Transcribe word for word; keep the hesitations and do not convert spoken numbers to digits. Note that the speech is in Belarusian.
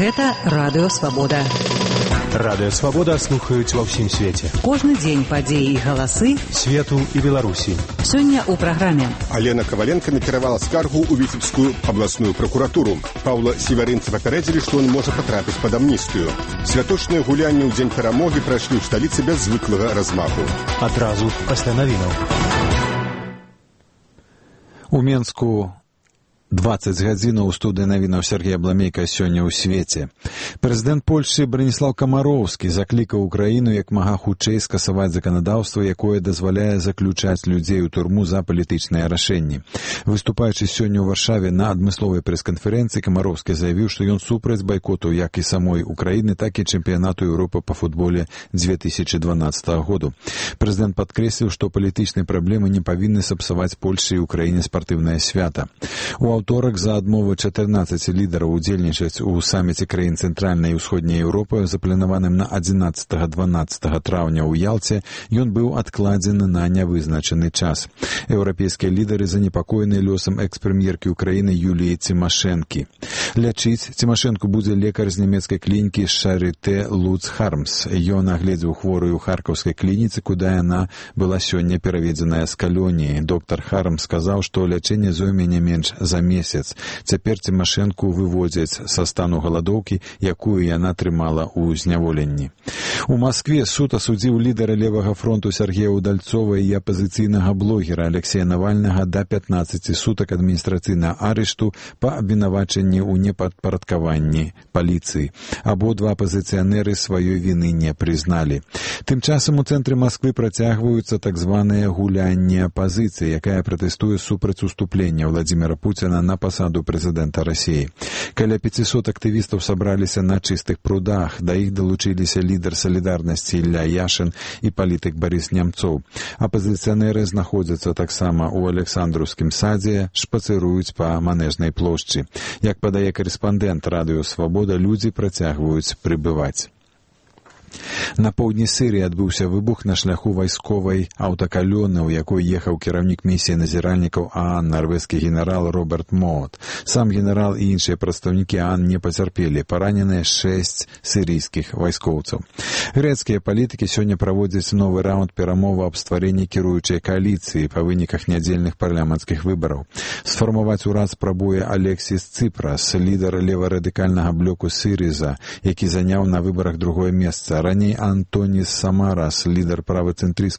Гэта Радыё Свабода. Радыё Свабода слухаюць ва ўсім свеце. Кожны дзень падзеі і галасы свету і Беларусі. Сёння ў праграме. Алена Коваленко накіравала скаргу ў Віцебскую абласную пракуратуру. Паўла Севарынца папярэдзілі, што ён можа патрапіць пад амністыю. Святочныя гулянні ў дзень перамогі прайшлі ў сталіцы без звыклага размаху. Адразу пасля навінаў. У Менску дваццаць гадзінаў у студыі навінаў Сергей Абламейка сёння ў свеце. Прэзідэнт Польшчы Браніслаў Камароўскі заклікаў Украіну як мага хутчэй скасаваць заканадаўства, якое дазваляе заключаць людзей у турму за палітычныя рашэнні. Выступаючы сёння ў Варшаве на адмысловай прэс-канферэнцыі, Камароўскі заявіў, што ён супраць байкоту як і самой Украіны, так і чэмпіянату Еўропы па футболе дзве тысячы дванаццатага году. Прэзідэнт падкрэсліў, што палітычныя праблемы не павінны сапсаваць Польшчы і Украіне спартыўнае свята. У аўторак за адмову чатырнаццаці лідараў удзельнічаць у саміце краін цэнтральнай і ўсходняй Еўропы, запланаваным на адзінаццатага-дванаццатага траўня ў Ялце, ён быў адкладзены на нявызначаны час. Еўрапейскія лідары занепакоены лёсам экс-прэм'еркі Украіны Юліі Цімашэнкі. Лячыць Цімашэнку будзе лекар з нямецкай клінікі Шарытэ Луц Хармс. Ён агледзеў хворую ў харкаўскай клініцы, куды яна была сёння пераведзеная з калоніі. Доктар Хармс сказаў, што лячэнне зойме не менш за месяц. Цяпер Цімашэнку выводзяць са стану галадоўкі, якую яна трымала ў зняволенні. У Маскве суд асудзіў лідара левага фронту Сергея Удальцова і апазіцыйнага блогера Алексея Навальнага да пятнаццаці сутак адміністрацыйнага арышту па абвінавачанні ў непадпарадкаванні паліцыі. Абодва апазіцыянеры сваёй віны не прызналі. Тым часам у цэнтры Масквы працягваюцца так званыя гулянні апазіцыі, якая пратэстуе супраць уступлення Владзіміра Пуціна на пасаду прэзідэнта Расіі. Каля пяцісот актывістаў сабраліся на чыстых прудах, да іх далучыліся лідар салідарнасці Ілля Яшын і палітык Барыс Нямцоў. Апазіцыянеры знаходзяцца таксама ў Александраўскім садзе, шпацыруюць па Манежнай плошчы. Як падае карэспандэнт Радыё Свабода, людзі працягваюць прыбываць. На поўдні Сірыі адбыўся выбух на шляху вайсковай аўтакалоны, у якой ехаў кіраўнік місіі назіральнікаў ААН, нарвежскі генерал Роберт Моот. Сам генерал і іншыя прадстаўнікі ААН не пацярпелі, параненыя шэсць сірыйскіх вайскоўцаў. Грэцкія палітыкі сёння праводзяць новы раунд перамоваў аб стварэнні кіруючай кааліцыі па выніках нядзельных парламенцкіх выбараў. Сфармаваць урад спрабуе Алексіс Цыпрас, лідар леварадыкальнага блоку Сірыза, які заняў на выбарах другое месца. Раней Антонис Самарас, лідар правацэнтрыстскай